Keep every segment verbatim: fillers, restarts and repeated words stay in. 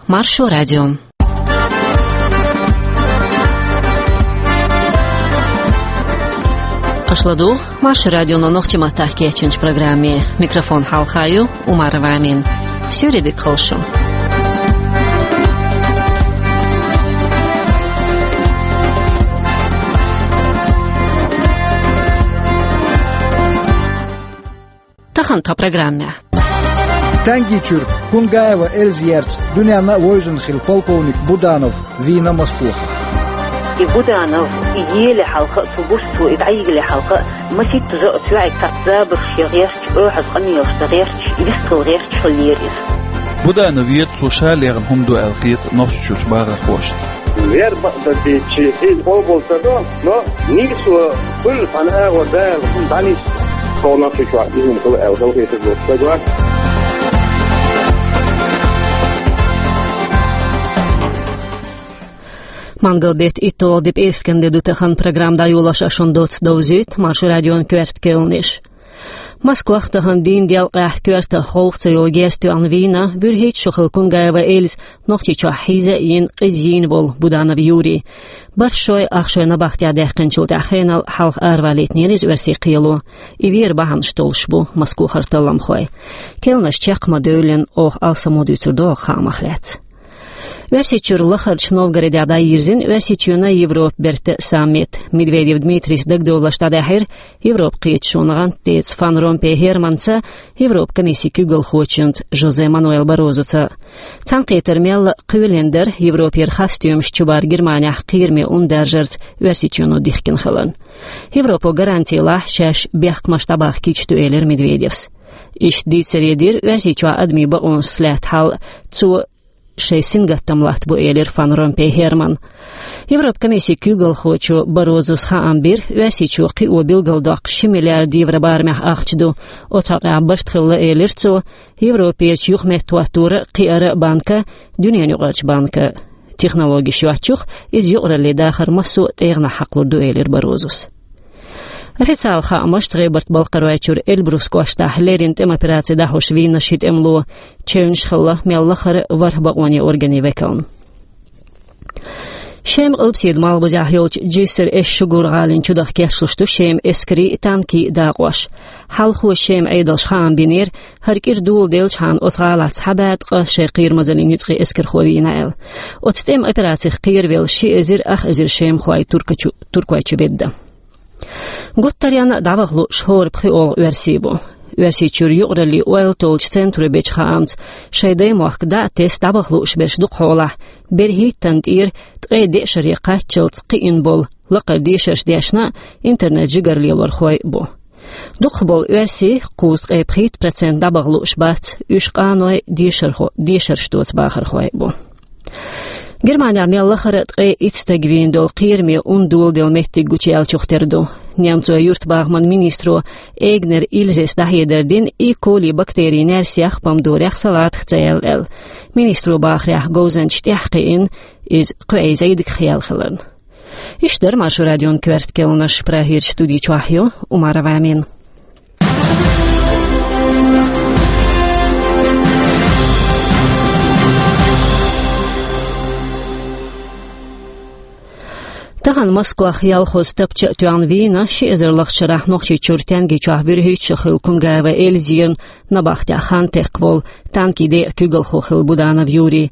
Маршо радио. Аша ладугӀу Маршо радионо нохчийн маттахь кечйинчу программе. Микрофон хьалха ю Умарова Амина. Суьйре дика хуьлда шун. Тахана тхан программехь. Танкичуьра Кунгаева Эльза ерза дуьненна а вевзина хилла полковник Буданов вийна Москвахь. И Буданов, и еле хьалха а, цо гуш цо и дӀайигнале хьалха а, масийтта жа а, цуьнан цхьацца забарш я гӀерташ, оьхьаз къамелаш ца гӀерташ, вистхила гӀерташ хиллера иза. Буданов вийра, цо ша лехна хӀума ду аьлла хета нохчийчуьрчу бахархошна. Вер бакъдерг дийцича, иза къобал ца до, но нийсо хуьлу, цхьана агӀор Дала хӀума дӀанисса. Тхо нохчийчохь и хӀума хила аьлла, хила хетарг долуш стаг вац. Мангал беттан итталгӀа де, пӀераскан де ду тахана. Программа дӀайолош а шун доцца довзуьйту Маршо радион коьрта кхаьънаш. Москвахь тахана дийнан делкъехь коьртах гӀовгӀа ца йолу герз тоьхна вийна вуьрхӀитта шо хилла Кунгаева Эльза, Нохчийчохь хьийза а йина, къиза йийна волу Буданов Юрий. БархӀ шой, ах шой набахтехь даьккхинчул тӀаьхьа хенал хьалха аравалийтинера иза оьрсийн кхело. И вер бахьанаш толлуш бу Москвахара талламхой. Кхаьънаш чекх ма девллина, оха алсамо дуьйцур ду хӀокху хаамах лаьцна. Оьрсийчуьра лахарчу Новгородехь дӀайирзина Оьрсийчоьнан Европан бертан саммит. Медведев Дмитрийс дагадовларш дӀадаьхьира Европан кхеташонан гӀантдеца Ван Ромпей Германца, Европан комиссин куьйгалхочуьнца Жозе Мануэл Баррозоца. Цхьаьнакхетар мелла а кхоьлина дара Европера хасстоьмаш чубар Германехь кхераме ун даржарца Оьрсийчоьно дихкина хиларна. Европо гаранти лахь, шаьш бехкамаш дӀабахкийтуш ду, элира Медведевс. Иштта дийцаре дира Оьрсийчохь адамийн бакъонашца лаьтта хьал. Цо шайн сингаттам латта бу, элира Ван Ромпей Германа. Европан комиссин куьйгалхочо Баррозос хаам бира, Оьрсийчоь кхио билгалдоккхуш ши миллиард евро барамехь ахча ду. Оцу хьокъехь барт хилла, элира цо, Европерчу юхаметтахӀотторан а, кхиаран а банка, дуьненан юкъарчу банка. Технологеш йоцчух иза юкъараллин дахар массо а тӀегӀанехь хьакхалур ду, элира Баррозос. Официалан хаамашца, ГӀебарта-Балкхаройчуьра Эльбрус кӀоштахь леррина тӀеман операци дӀахьош вийна ши тӀемало. Чевнаш хилла мел лахара а ворхӀ бакъонийн органийн векална. Шеман Къилбаседа малхбузехь йолчу Джиср эс-Шугур гӀалин чудаха кечлуш ду Шеман эскарийн а, танкийн а дакъош. Хьалхо Шеман Ӏедалша хаам бинера, хӀара кӀира доладелчхьана оцу гӀалахь цхьа бӀе ткъа шайн кхерамазаллин ницкъийн эскархо вийна аьлла. Оцу тӀеман операцих кхеравелла ши эзар ах эзар шемахой туркачу-, туркойчу бедда. Гуттаренна а дӀаваха лууш хӀора пхоьалгӀа оьрси бу. Оьрсийчуьра юкъараллин ойла толлучу центро бечу хаамца, шайн даймохк дӀа а тесна дӀаваха лууш берш дукхахьолахь, берхӀиттанна тӀера ткъе деа шаре кхаччалц кхиъна болу лакхара дешарш дешна а, интернет-жигара лелорхой а бу. Дукхахболу оьрси, кхузткъе пхийтта процент, дӀабаха лууш бац, уьш къаной, дешархо-, дешарш доцу бахархой а бу. Германехь мел лахара а ткъе итт стаг вийна долу кхераме ун доладелла меттиг гучуяьллачух тера ду. Немцойн юьртабахаман министро Эгнер Ильзес дӀахьедар дина, и коли бактерийн наьрсех, помидорех, салатах ца яьлла аьлла. Министро бахарехь, говзанчаш тӀаьхьакхиъна, иза кхо эзар зӀийдигах яьлла хиларна. Иштта дара Маршо радион коьрта кхаьънаш. Прагерчу студи чохь ю Умарова Амина. Тахана Москвахь ялхаза тапча а тоьхна вийна ши эзар лахчарахь Нохчийчуьра Тянгичохь вуьрхӀитта шо хилла Кунгаева Эльза ерна набахтехь хан текхна волу танкийн декъан куьйгалхо хилла Буданов Юрий.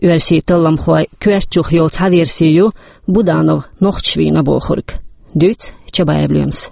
Оьрсийн талламхойн коьртачух йолу цхьа верси ю Буданов нохчаша вийна бохург. Дуьйцу Чабаев Лоьмас.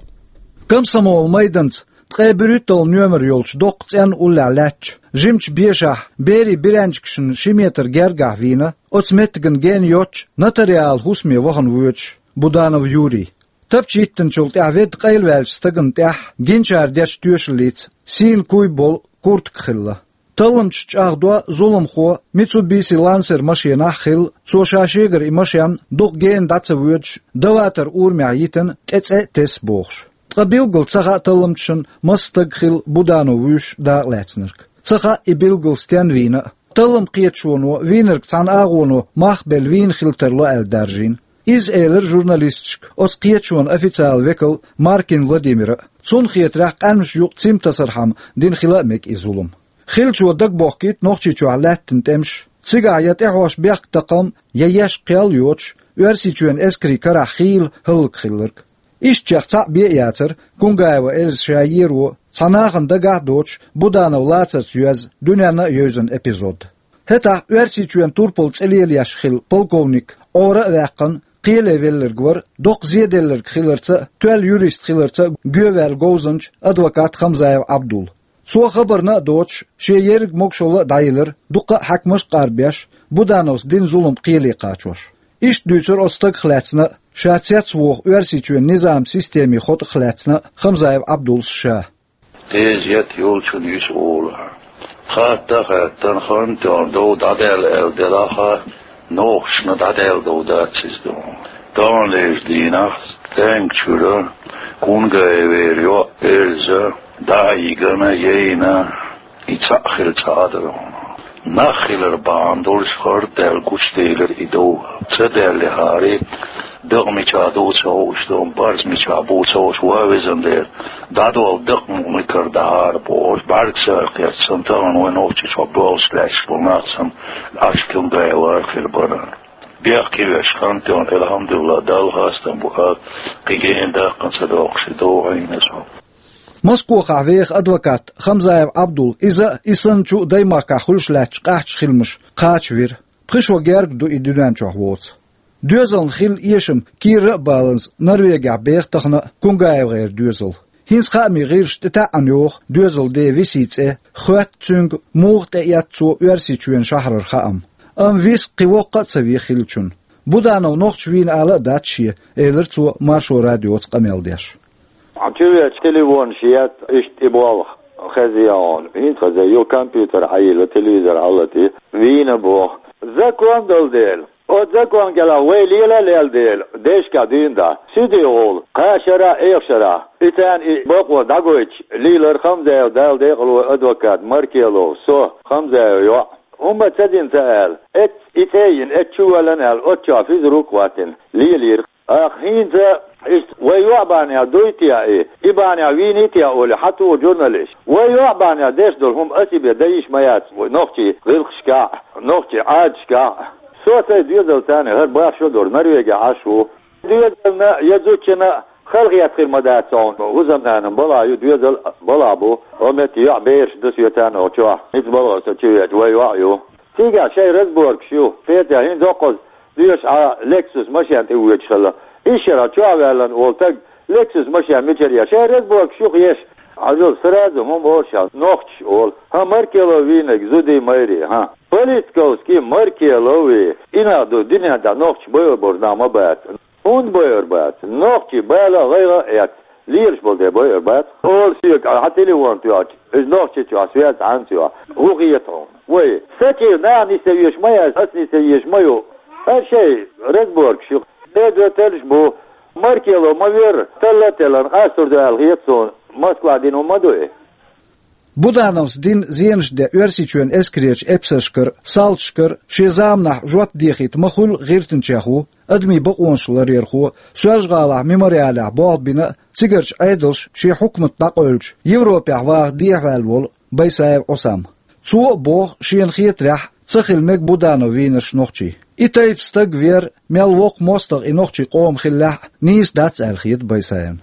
Комсомолан майданца ткъе берхӀитталгӀа номер йолчу доккха цӀенна уллехь лаьттачу жимачу бешахь берийн бераьнничкашна ши метр гергахь вийна, оцу меттигна гена йоццуш, нотариалан хӀусаме вахана воьдуш, Буданов Юрий. Тапча йиттинчул тӀаьхьа ведда къайлаваьллачу стагана тӀехь гинчара дечу тоьшаллица сийна куй болу куртка хилла. Талламчаш чӀагӀдо, зуламхо Mitsubishi Lancer машенахь хилла, цо ша шегара и машен дукха гена дӀа ца воьдуш, Даватар урамехь йитина, тӀе цӀе а тесна бохуш. Ткъа билггал ца хаьа талламчашна, маса стаг хилла Буданов вуьйш дакъалаьцнарг. Ца хаьа и билггал стенна вийна а. Талламан кхеташоно вийнарг цхьана агӀоно мах а белла вийна хила тарло аьлла даржийна. Иза элира журналисташка оцу кхеташонан официалан векал Маркин Владимира. Цунна хетарехь, къаьмнаш юкъа цим тасархьама дина хила а мега и зулам. Хиллачо дагабохкийта Нохчийчохь лаьттина тӀемаш, Цигахь я тӀехьош бехк такхам, я еш кхел йоцуш, Оьрсийчоьнан эскарийн карахь хийла хӀаллакьхилларг. Ишттачех цхьаъ бен а яцара, Кунгаева Эльза ша еро цхьа нахана дагахь а доцуш Буданов лацарца йоьзна, дуьненна а евзина эпизод. ХӀетахь Оьрсийчоьнан турпал цӀе лелаеш хилла полковник Ӏора а ваьккхина, кхеле велларг вара, доккха зеделларг хиларца а, тоьлла юрист хиларца а гоьваьлла говзанча адвокат Хамзаев Ӏабдул. Цо хабарна а доцуш, шен ерриг могушалла а дӀайиллира, дуккха а хьаькамаш а къарбеш, Будановс дина зулам кхеле кхачош. Иштта дуьйцура оцу стагах лаьцна а, ша цецвоху Оьрсийчоьнан низаман системин хотӀах лаьцна а Хамзаев Ӏабдулс ша. Эзет йолчун юьсу олу. Хатта а хаьттина, хан тӀехь дов дӀадаьлла аьлла делахь а, нохчашна дӀадаьлла дов дац иза ду. Тахана лежу дийнахь стенга чуьра Кунгаевера йоӀ Эльза дӀа а йигина, яйна, и цхьаъ хилла цхьа а дара хьуна. Нах хилар бахьана долуш хӀара даьлла гучуделира и дов. Ца даьллехьара, дакъа мичахь ду ца хууш ду, барз мичахь бу ца хууш, ва везан Дела, дӀадолу дакъа мукъамикар дахьара бохуш, бӀаьргашца кхетта санна, тахана вайн Нохчийчохь болуш лаьтташ болу нах санна, Ӏаш Кунгаевара хир бара. Бехке веш хан тӀехь, алхьамдулиллахӀ, Далла хастам бу, кхин гена даккха ца доккхуш и дов Ӏийна цо. Москохахь веха адвокат Хамзаев Ӏабдул иза а, и санначу а даймахкахь хуьлуш лаьтташ къаьхьачу хиламаш кхача вира. Пхи шо герга ду и дуьнен чохь воцу. Доьзална хилла эшам кийра а баланза Норвегехь беха тахана а КунгаевгӀеран доьзал. ХӀинца хаамийн гӀирсаша тӀетаьӀӀана йоху доьзалан ден Висин цӀе, хоьтту цуьнга, муха тӀеэцна цо Оьрсийчоьнан шахьарара хаам. Амма Вис кхин воккха а ца вен хиллачунна. Буданов нохча вийна ала а дац шен, элира цо Маршо радиоца къамел деш. Хьан чу веача телефонаш етта, иштта и болх хеза яхьуна. ХӀинца хеза, ю компьютер хьайилла, телевизор хьалати, вийна боху. Закон долу дела. Оцу закон кӀелахь вай лела а лела дела, дешка дуьйна да. Суьди гӀула, кхаа шарахь, эха шарахь. И царна и бакъо дӀагойтуш, лийлар Хамзаев Дала декъало адвокат Маркелов, со, Хамзаев йоӀ. ХӀумма ца дина ца аьлла, эц-, и цӀе а йина, эцчу валлан аьлла, оццо физрук а хӀоттина, лелийра. Ах, хӀинца иштта вай йоӀ бахьанехь дуй те и, и бахьанехь вийний те олий, хьан туху журналист? Вай йоӀ бахьанехь деш долу хӀума аса бен дан йиш ма яц вай нохчий гӀиллакхашкахь а, нохчий Ӏадаташкахь а. Со сайн доьзал царна хӀара бах шо дора, Норвегехь Ӏаш ву. Доьзална я зудчунна халахетта хир ма дац хьуна, хӀусамнанан балахь ю, доьзал балахь бу, хӀо метта йоӀ бераш ду соьцарна оха чохь, хӀинца балхо со чу веача, вай йоӀ ю. Цигахь шайн разборкаш ю, петя хӀинца доккхаза доьшуш Ӏа Lexus машен тӀе воьдуш хилла. Ишшара чохь ваьллан волу стаг Lexus машен мичара еш? Шайн разборкаш юха еш. Хьажал, сразу хӀума олуш хьан, нохчаш олу. ХӀан, Маркелов вийнарг зудий, майрий, хӀан? Политиковский Маркелови. И нах ду, дуьнен тӀехь нохчаш байъур болу нах ма бац. ХӀунда байъур бац? Нохчий бала а, гӀайгӀа а эцна, лелаш болу дела байъур бац. Олу соьга, хьан телефон тоьхча, иза нохчи чохь связь хьанца йо? ХӀун хета хьуна? Вай, сатийра наха нисъян веш ма яц, ас нисъян веш ма ю. ХӀара шайн разборкаш ю. Медо теллаш бу. Маркелов ма вера, талла а теллина, къастор ду аьлла хета суна. Москва дина хӀума ма ду и. Будановс дина зенаш де Оьрсийчоьнан эскарерчу эпсаршкара, салташкара шен заманахь жоп дехийта ма хуьллу гӀиртинчех ву, адамийн бакъонаш ларъярхо, Соьлжа-ГӀалахь мемориалехь болх бина а, цигарчу Ӏедалша шен хьукмат дӀакъевлича, Европехь ваха дехьаваьлла волу Байсаев Ӏусам. Цо а боху, шена хетарехь, ца хила мега Буданов вийнарш нохчий. И тайпа стаг вер, мел воккха мостагӀа и нохчийн къоман хиллехь а, нийса дац аьлла хета Байсаевна.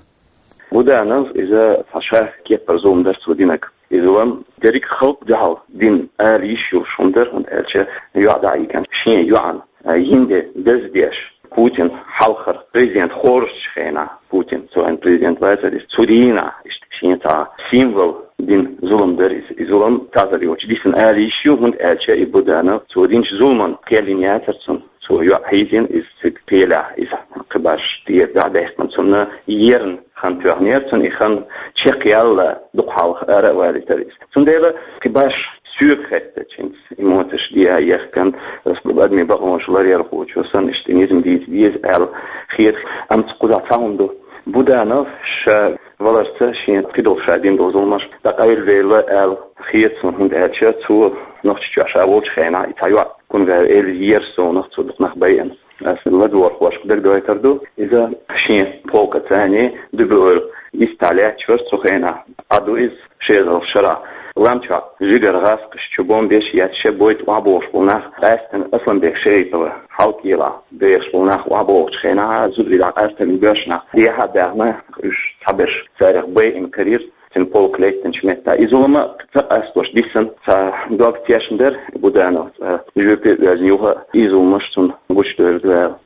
Буданов иза цхьа ша кепара зулам дара цо динарг. Иза ван дерриг халкъ дуьхьал дина ала йиш йолуш хӀума дара, хӀунда аьлча йоӀ дӀа а йигна, шен йоӀана, а, йина де деза деш, Путин хьалхара президент хоржучу хенахь, Путин цу хенахь президент вацара, иза цу дийнахь, иштта шен цхьа символ дина зулам дара иза. И зулам тазар йолчу дисина ала йиш ю, хӀунда аьлча и Буданов цо динчу зуламан кхел йина яцара цунна. Цо йоӀ хьийзийна, иза цига пелехь, иза кхин баш тӀера дӀа а даьккхина, цунна ерна хан тоьхнера, цунна и хан чекхъяьлла, дукха хьалха ара а валийтара иза. Цундела кхин баш соьга хеттачу хӀинца эмоцеш дӀа а яхкина, адамийн бакъонаш ларъярхочо санна, иштта низам дийца деза аьлла хета. Амма цу кхузахь цхьа хӀума ду. Буданов ша валарца шен кхидолу ша дина долу зуламаш дӀакъевлавелла аьлла хета суна, хӀунда аьлча цо Нохчийчохь ша волчу хенахь и цхьа йоӀ Кунгаев Эльза ера совнах, цо дукха нах байина. Аса ладогӀархошка дагадойтур ду, иза шен полкаца дуьбе ойла йиста лаьтташ вара цу хенахь. Ӏа ду иза ши эзарлагӀчу шарахь. Лам чохь жигара гӀазкхаш чу бомбеш а етташ, шен бой тӀе охьабогӀуш болу нах, къаьсттина Асланбек Шейтова хьалкӀелахь бехаш болу нах охьабогӀучу хенахь, зударий дӀакъаьстина боьрша нах дехьа а даьхна, уьш цхьаберш царах байина карийра цуьнан полк лаьттинчу меттехь. И зулам а ца къастош диссина цхьа дог тешна дара Будановс, цкъа жоьпе а оьзна юха а и зуламаш цунна гучудевлла ваьлла.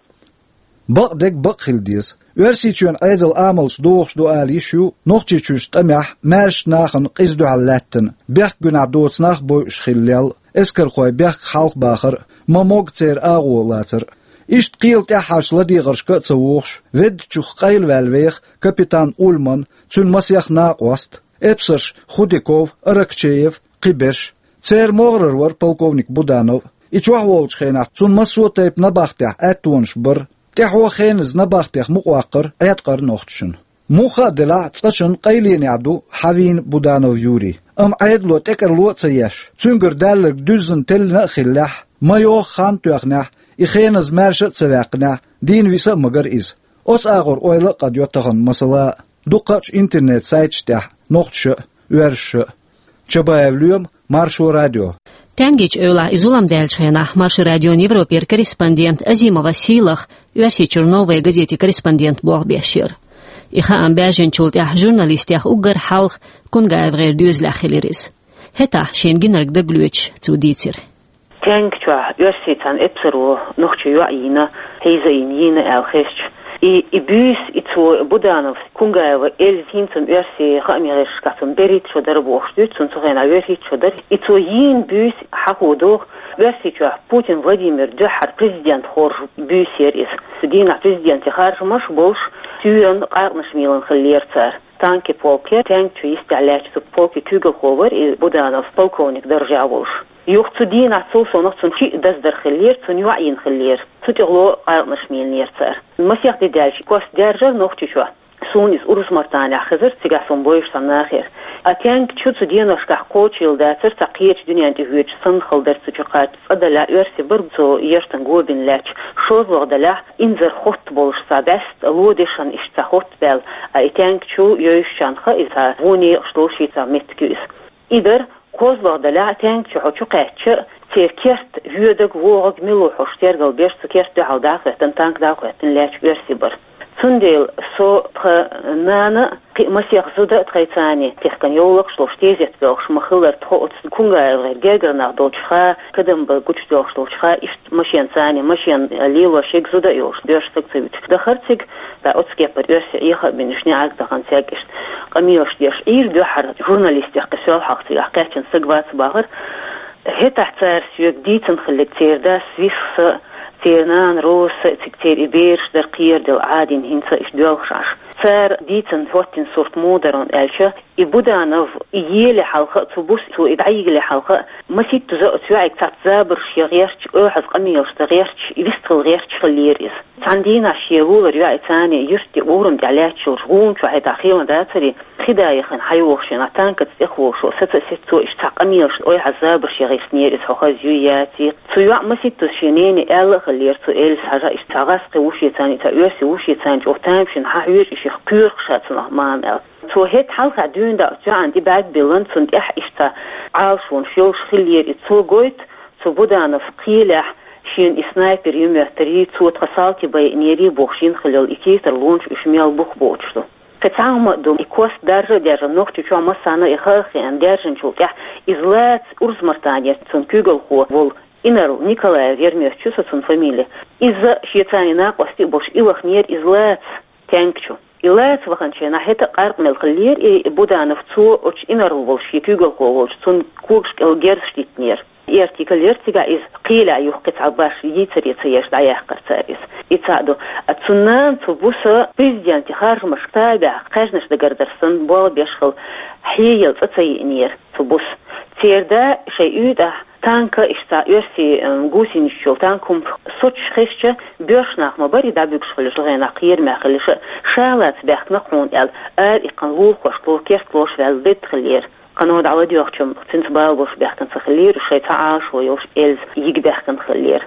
Бакъдерг бакъ хила деза. Оьрсийчоьнан Ӏедал амалца догӀуш ду ала йиш ю Нохчийчуьрчу тӀамехь маьршачу нахана къиза дуьхьал лаьттина, бехк-гуьнахь доцу нах бойуш хилла лелла, эскархой бехк хьалха бахар а, ма-могга церан агӀо лацар а. Иштта кхела тӀаьххьарчу ладегӀаршка а ца вогӀуш, веддачух къайлаваьлла веха капитан Ульман, цуьнан масех накъост, эпсарш Худяков, Аракчеев, кхиберш. Церан могӀарера вара полковник Буданов. И чохь волчу хенахь цунна массо а тайпа набахтехь аьттонаш бара. ТӀаьхьо хеназа набахтех мукъаваккхара Ӏеткъара нохчашна. Муха а делахь, цкъачунна къайленехь ду хьан вийна Буданов Юрий. Амма Ӏедало тӀекӀарло а ца еш, цуьнгара даьлларг дуьззина теллина а хиллехь, ма йогӀу хан а тоьхнехь, и хеназа маьрша а ца ваьккхинехь, дийна виса а магара иза. Оцу агӀор ойла а къадйо тахана масала а, дукхачу интернет-сайташ тӀехь нохчаша а, оьрсаша а. Чабаев Лоьма, Маршо радио. Тенгичу эвлахь и зулам даьллачу хенахь Маршо радион Европера корреспондент Азимова Сийлаха Оьрсийчуьра «Новая газетин» корреспондент болх беш яра. И хаам баьржинчул тӀаьхьа журналистех уггар хьалха КунгаевгӀеран доьзалехь хилира иза. ХӀетахь шена гинарг дагалоьцуш цо дийцира. Тенг чохь оьрсийн цхьана эпсаро нохчийн йоӀ йийна, хьийза а йина, йийна аьлла хезча, и, и буьйса, и цо Будановс, Кунгаева Эльза хӀинца-м оьрсийн хаамийн гӀирсашкахь цунна берхӀитта шо дара бохуш дуьйцу, цунна цу хенахь верхӀитта шо дара. И цо йийна буьйса хьахо догӀу, Оьрсийчохь Путин Владимир дуьххьара президент хоржу буьйса яра иза. Цу дийнахь президентийн харжамаш болуш, суьйранна къаьркъанаш мелийна хиллера цара. Танки полке, Тенг чу йистехь лаьттачу цу полкийн куьйгалхо вара и Буданов, полковник даржехь волуш. Юха цу дийнахь цул совнаха цунна шиъ даздара хиллера, цунна йоӀ йина хиллера. Цу тӀехула къаьркъанаш мелийнера цара. Масех де даьлча, кост даьржира Нохчийчохь. Суна иза Урус-Мартанехь хезара, цигахь суна бовзуш цхьана нахера. А Тенг чу цу деношкахь кхочийла дацара, цхьа кхечу дуьненна тӀе хьоьжуш санна хилла дара цу чу кхача. Цкъа делахь оьрсий бара цу яртан го бина лаьтташ. ШозлагӀа делахь, инзаре хотта болуш цхьа бӀаьста, ло дешан иштта цхьа хотта баьлла, а и Тенг чу йовзучарна хаьа иза, цхьа вон некъаш долуш цхьа меттиг ю иза. И дара, кхозлагӀа делахь, Тенг чу хьо чу кхаьчча, церан керт воьдург, вогӀург мила ву хьожуш тергал беш, цу керта дуьхьал дӀахӀоьттина, танк дӀахӀоьттина лаьтташ оьрсий бара. Цундела со, тхан нана а, кхин а масех зуда а тхайца тӀехкана йовлакхаш долуш, тезет боьлхуш ма-хиллара, тхо оцу КунгаевгӀеран гергара нах долчухьа, Кадамба гучудоьлхуш долчухьа, иштта машенца, машен лелош ерг зуда а йолуш, боьрша стаг ца вуьтуш, дахара цига, ткъа оцу кепара оьрсий Ӏеха а бина, уьш неӀарга дахана цаьрга иштта къамелаш деш Ӏийра дуьххьара журналистех, кхин сол хьалха цигахь кхаьчна стаг вац бахара. ХӀетахь цара соьга дийцина хилларг, церан дас Висса, церан нана Роза, цига церан и бераш дара кхераделла Ӏадийна, хӀинца а иштта доьлхуш Ӏаш. Цара дийцина хӀоттийна сурт муха дара аьлча, и Буданов, и еле хьалха а, цу буса цо и дӀайигале хьалха а, масийттаза оцу йоӀига цхьацца забарш ян гӀерташ, оьхьаза къамелаш дан гӀерташ, и вистхила гӀерташ хиллера иза. Цхьана дийнахь шен вулар йоӀица юьртан тӀе, урам тӀехь лаьтташ йолчу гӀуна чохь, хӀетахь хила дацара, хи да яхана хьайогӀуш, шена танкаца тӀехволуш, саца а сецо, иштта цхьа къамелаш, оьхьаза забарш ян гӀиртинера иза, хьо хаза юй, яций. Цу йоӀа масийттаза шен нене аьлла а хиллера, цу Эльзас хьажа, иштта цхьа гӀазкхи ву шеца, цхьа оьрсий ву шеца чӀогӀа тамашийна, хьан хьоьжу и шех, кхоьру ша цунах, мама, аьлла. Цо хӀетахь хьалха дуьйна дӀа оцу йоӀана тӀе бӀаьрг биллина, цунна тӀехь иштта цхьа Ӏалашонаш йолуш хиллера иза. Цо Буданов кхелехь, шена и снайпер ю моьттарий, цо тхан салти байинерий бохуш йина хилла йолу и титарлонаш уьш мел бух боцуш ду. Кхин цхьа хӀума а ду, и кост даржа а даьржина, Нохчийчохь массарна а и хаа а хиъна, даьржинчул тӀаьхьа иза лаца Урус-Мартане цуьнан куьйгалхо волу инарла, Николаев Ермёс ю со цуьнан фамили. Иза шеца накъостий а болуш, и ваханера иза лаца Тенг чу. И лаца ваханчу хенахь хӀета а къаьркъа мел хиллера и Буданов, цо оцу инарла волуш, шен куьйгалхо волчу, цунна когаш кӀел герзаш диттинера. И артикль яра цигахь иза кхелехь, юха кхин цхьа баш йийцаре ца еш дӀаяьккхира цара иза. И цхьаъ ду. А цу нана, цу буса президентийн харжамашка табехь, кхаьжнаш дагардара санна, болх беш хилла, хьеяла цӀа ца йиънера цу буса. Церан да шайн уьйтӀахь танка, иштта цхьа оьрсийн, м, гусеницаш йолу танк хӀума соцуш хезча, боьрша нах ма бара и дӀабуьгуш хилла, цу хенахь кхерамехь хилла, ша лаца баьхкина-кх хьуна аьлла, ара иккхина лулахошка ло, керта лоша ваьлла бедда хиллера. Кхана дӀавадоьгӀча, цуьнца бала болуш баьхкина ца хиллера, шайн цхьа Ӏалашо йолуш эльза йига баьхкина хиллера.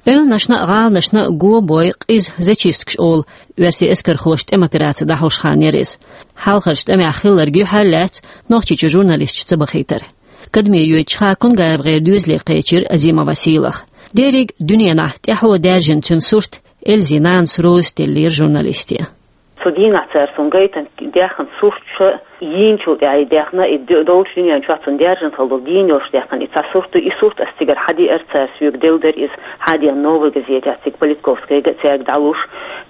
Эвланашна а, гӀаланашна а го бой къиза зачисткаш олу оьрсийн эскархоша тӀеман операци дӀахьош хан яра иза. Хьалхарчу тӀамехь хилларг юьхьар а лаьцна Нохчийчу журналисташ ца бахийтар. Кадаме йоьдучу хана Кунгаевгара доьзале кхечира Азимова Сийлаха. Дерриг а дуьненахь тӀаьхьо даьржина цуьнан сурт эльзин нанас роза теллера журналисте. Цу дийнахь цара цунна гайтина даьхна сурташ а, йийначул тӀаьхьа и даьхна, и д-, долчу дуьнен чохь цунна даьржина хилла долу дийна йолуш даьхна и цхьа сурт ду. И сурт ас цигара хьадеара цара, соьга делла дара иза, хьадеана Новая газетехь, цига Политковскайга а, цаьрга дӀалуш.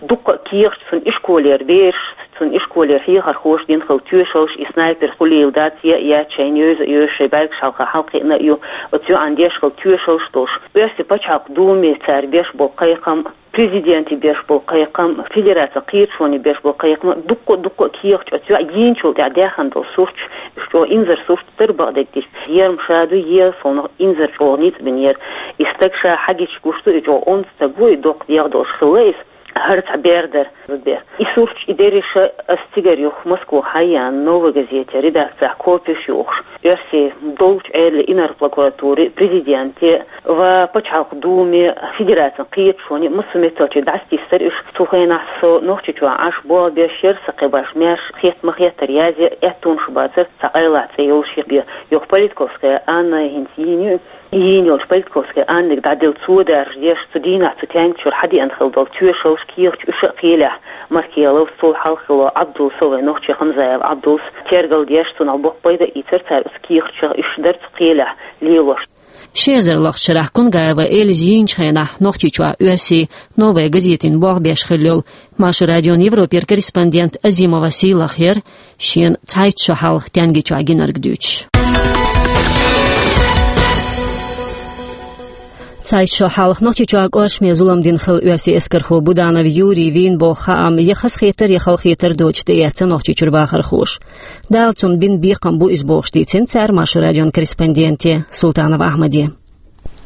Дуккха а кехаташ, цуьнан ишколера бераш, цуьнан ишколера хьехархоша дина хилла тоьшаллаш, и снайпер хуьлийла дац, е а яц, шайна евза а евза, шайн бӀаьргаш хьалха хьалакхиъна а ю, оцу йоӀана деш хилла тоьшаллаш долуш. Оьрсийн пачхьалкхан Думе цара беш болу кхайкхам, президенте беш болу кхайкхам, федерацин кхеташоне беш болу кхайкхам, дуккха а, дуккха а кехаташ, оцу йоӀа йийначул тӀаьхьа даьхна долу сурташ, уьш чӀогӀа инзаре сурт дара бакъдерг дича. Ер-м ша ду, е, суна инзаре чӀогӀа ницкъ бинера. И стаг ша хьагича гуш ду, и чӀогӀа онда стаг ву, и доккха дегӀ долуш хилла иза. ХӀара цхьа бер дара, зудбер. И сурташ, и дерриш а ас цигара юха Москва хьаяьхна, Новая газетехь редакцехь копеш юхуш, оьрсийн долчу Ӏедалан, инарла прокуратурин, президентан ва пачхьалкхан Думе, федерацин кхеташоне, массо а метталчу дӀасатесира уьш. Цу хенахь со Нохчийчохь Ӏаш болх беш яра, сан кхин башха маьрша хетта ма хеттара язъе, аьттонаш бацара, цхьа къайлаха цӀе йолуш бен. Юха Политковская Анна хӀинца йийна ю, йийна йолчу Политковская Аннага дӀаделла цо даржадеш, цу дийнахь цу тенга чуьра хьадеана хилла долу тоьшаллаш, кехаташ уьш а кхелехь, Маркеловс, цул хьалха хилла Ӏабдулс, вайн нохчи Хамзаев Ӏабдулс, тергал деш, цунах боккха пайда а ийцира цара оцу кехаташах, уьш дара цу кхелехь лелош. Ши эзар лахчу шарахь Кунгаева эльза йийначу хенахь Нохчийчохь оьрсийн «Новая газетин» болх беш хилла йолу Маршо радион Европера корреспондент Азимова Сийлаха яра шена цхьайтта шо хьалха Тенгичохь гинарг дуьйцуш. Цхьайтта шо хьалха Нохчийчохь кӀоршаме зулам дина хилла оьрсийн эскархо Буданов Юрий вийна боху хаам я хазахетар, я халахетар доцуш тӀеэцна Нохчийчуьра бахархоша. Дала цунна бина бекхам бу иза бохуш дийцина цара Маршо радион корреспонденте Султанов Ахьмаде.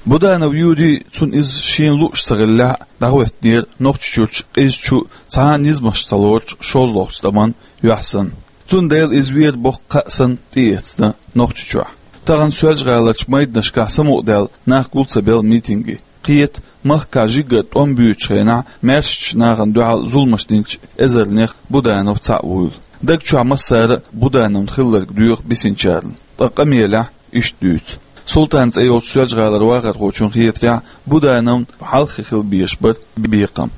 Буданов Юрий, цунна иза шена лууш ца хиллехь а, дӀахӀоьттинера Нохчийчуьрчу къизачу, цхьа а низамаш ца лоручу шозлагӀчу тӀаман юьхь санна. Цундела иза вер боккха кхаъ санна тӀеэцна Нохчийчохь. Тахана Соьлжа-ГӀаларчу майданашкахь самукъадаьлла нах гул ца белла митинге. Кхета, махкахь жигара тӀом буьйцучу хенахь маьршачу нахана дуьхьал зуламаш динчу эзарнех Буданов цхьаъ вуйла. Даг чохь массара а Будановна хилларг доьху бисинчарна, ткъа къамелехь иштта дуьйцу. Султан цӀе йолчу Соьлжа-ГӀалара вахархочун хетарехь, Будановна хьалххе хила безаш бара бекхам.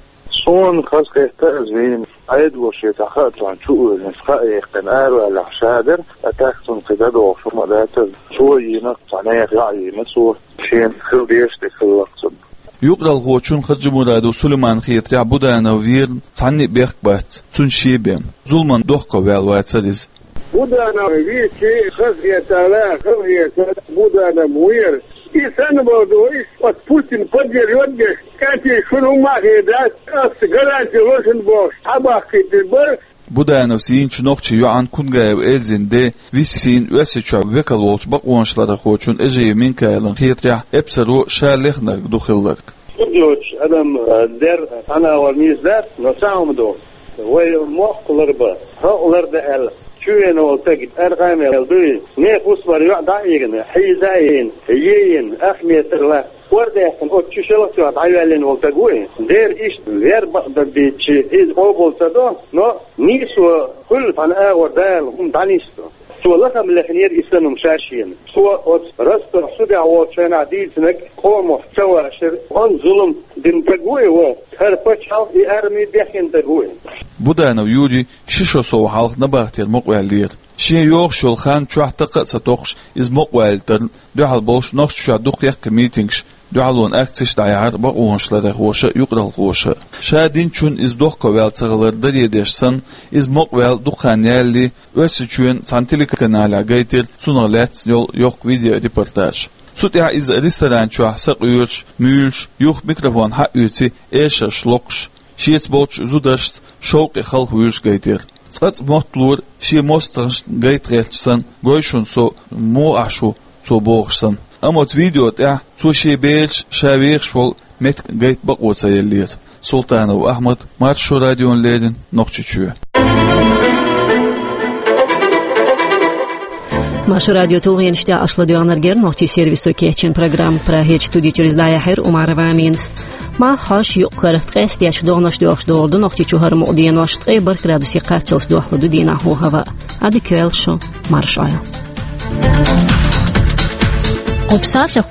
Суна хазахетта, иза вийна, Ӏедало шен цхьа хаа цунна чу а вуьйлина, хаа яьккхина араваллехь ша дара, а тӀаккха цунна кхин дӀадохуш хӀума а дацара. Цо йийна, цхьа нехан йоӀ йийна цо, шена хила дезаш дерг хилла-кх цунна. Юкъаралхочун Хаджимурадов Сулайманан хетарехь, Буданов верна цхьанна а бехк бац, цуьнан шен бен. Зуламан дохковаьлла вацара иза. Буданов вийча хазахетта, хазахетта Буданов вер. И санна боху ду, и оцу Путин поддерживать деш, кӀантий шуна хӀумма а хир дац, ас гаранти ло шуна бохуш, схьабахкийтина бара. Будановс йийначу нохчийн йоӀан Кунгаева Эльзин ден Виссина Оьрсийчохь векал волчу бакъонашларъярхочун Эжиев Минкаилан хетарехь, эпсаро ша лехнарг ду хилларг. Хьуна йоцуш адам, э, дер цхьана а вар нийса дац, но цхьа хӀума ду. Вай мохк ларбан, хьо а лардан аьлла, чувена волу стаг аркъа мел дуй, нехан хӀусамара йоӀ дӀа а йигна, хьийза а йина, е а йина, ахмета лаьтта, кӀордаьккхина оцу чу шалгӀа чохь дӀайоьллина волу стаг вуй. Дера иштта вер бакъдерг дийцча, иза къобал ца до, но нийсо хуьлу, цхьана агӀор Дала хӀума дӀанисдо. Цо лахам лехнера и санна ша шена. Цо оцу Ростов судехь волчу хенахь дийцинарг къомах ца вашара, онда зулам дина стаг ву и вон, хӀара пачхьалкх, и арми бехкина стаг ву и. Буданов Юрий ши шо сов хьалха набахтера мукъаваьллера. Шен йогӀуш йолу хан чохь такха а ца токхуш, иза мукъавалийтарна дуьхьал болуш Нохчийчохь дукха яьккхи митингаш, дуьхьалонан акцеш дӀаяьхьира бакъонашларъярхоша а, юкъаралхоша а. Ша динчунна иза дохковаьлла ца хилар даре деш санна, иза мукъаваьлла дукха хан ялале, Оьрсийчоьнан цхьана телеканалехь гайтира цунах лаьцна йолу йоккха видеорепортаж. Цу тӀехь иза ресторан чохь сакъоьруш, муьйлуш, юха микрофон хьаоьций, эшарш локхуш, шеца болчу зударшца шовкъе халхавуьйлуш гайтира. Цкъа-цкъа мотталора, шен мостагӀашна гайта гӀерташ санна, гой шуна со, муха Ӏаш ву цо бохуш санна. Амма оцу видео тӀехь цо шен бераш, ша вехаш волу меттиг гайта бакъо ца еллера. Султанов Ахьмад, Маршо радиона леррина, Нохчийчоь. Маршо радион тулгӀенаш тӀехь аша ладоьгӀнарг яр нохчийн сервисо кечйина программа. Прагерчу студи чуьра из дӀаяьхьира Умарова Аминас. Малх хьош юккъара, ткъеста дечу догӀанаш доьлхуш долуш ду Нохчийчу хӀара мукъа денош, ткъе бархӀ градусе кхаччалц дохлур ду дийнахь хӀаваъ. Ӏадика йойла шун, марша Ӏойла. Кху псалъех